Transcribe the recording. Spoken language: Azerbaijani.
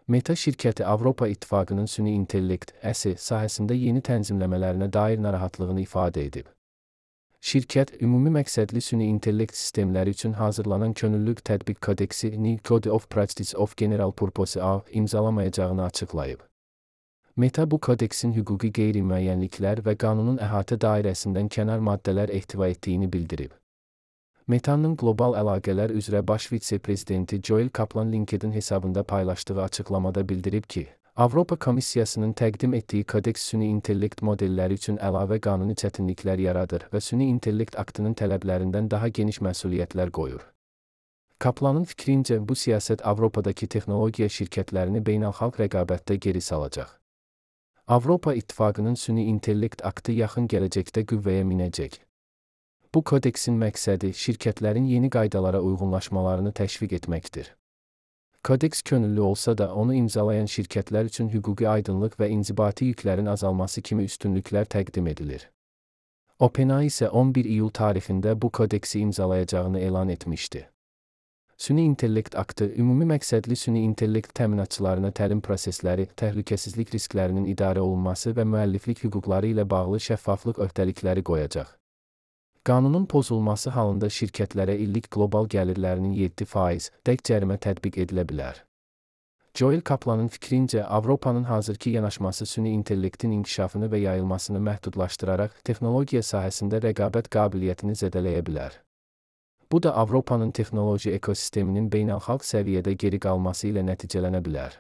Meta şirkəti Avropa İttifaqının süni intellekt (əsi) sahəsində yeni tənzimləmələrinə dair narahatlığını ifadə edib. Şirkət, ümumi məqsədli süni intellekt sistemləri üçün hazırlanan könüllülük tətbiq kodeksi (New Code of Practice of General Purpose A) imzalamayacağını açıqlayıb. Meta bu kodeksin hüquqi qeyri-müəyyənliklər və qanunun əhatə dairəsindən kənar maddələr ehtiva etdiyini bildirib. Meta'nın qlobal əlaqələr üzrə baş vitse-prezidenti Joel Kaplan LinkedIn hesabında paylaşdığı açıqlamada bildirib ki, Avropa Komissiyasının təqdim etdiyi kodeks süni intellekt modelləri üçün əlavə qanuni çətinliklər yaradır və süni intellekt aktının tələblərindən daha geniş məsuliyyətlər qoyur. Kaplanın fikrincə, bu siyasət Avropadakı texnologiya şirkətlərini beynəlxalq rəqabətdə geri salacaq. Avropa İttifaqının süni intellekt aktı yaxın gələcəkdə qüvvəyə minəcək. Bu kodeksin məqsədi şirkətlərin yeni qaydalara uyğunlaşmalarını təşviq etməkdir. Kodeks könüllü olsa da onu imzalayan şirkətlər üçün hüquqi aydınlıq və inzibati yüklərin azalması kimi üstünlüklər təqdim edilir. OpenAI isə 11 iyul tarixində bu kodeksi imzalayacağını elan etmişdi. Süni intellekt aktı, ümumi məqsədli süni intellekt təminatçılarına təlim prosesləri, təhlükəsizlik risklərinin idarə olunması və müəlliflik hüquqları ilə bağlı şəffaflıq öhdəlikləri qoyacaq. Qanunun pozulması halında şirkətlərə illik qlobal gəlirlərinin 7% cərimə tətbiq edilə bilər. Joel Kaplanın fikrincə, Avropanın hazırki yanaşması süni intellektin inkişafını və yayılmasını məhdudlaşdıraraq texnologiya sahəsində rəqabət qabiliyyətini zədələyə bilər. Bu da Avropanın texnoloji ekosisteminin beynəlxalq səviyyədə geri qalması ilə nəticələnə bilər.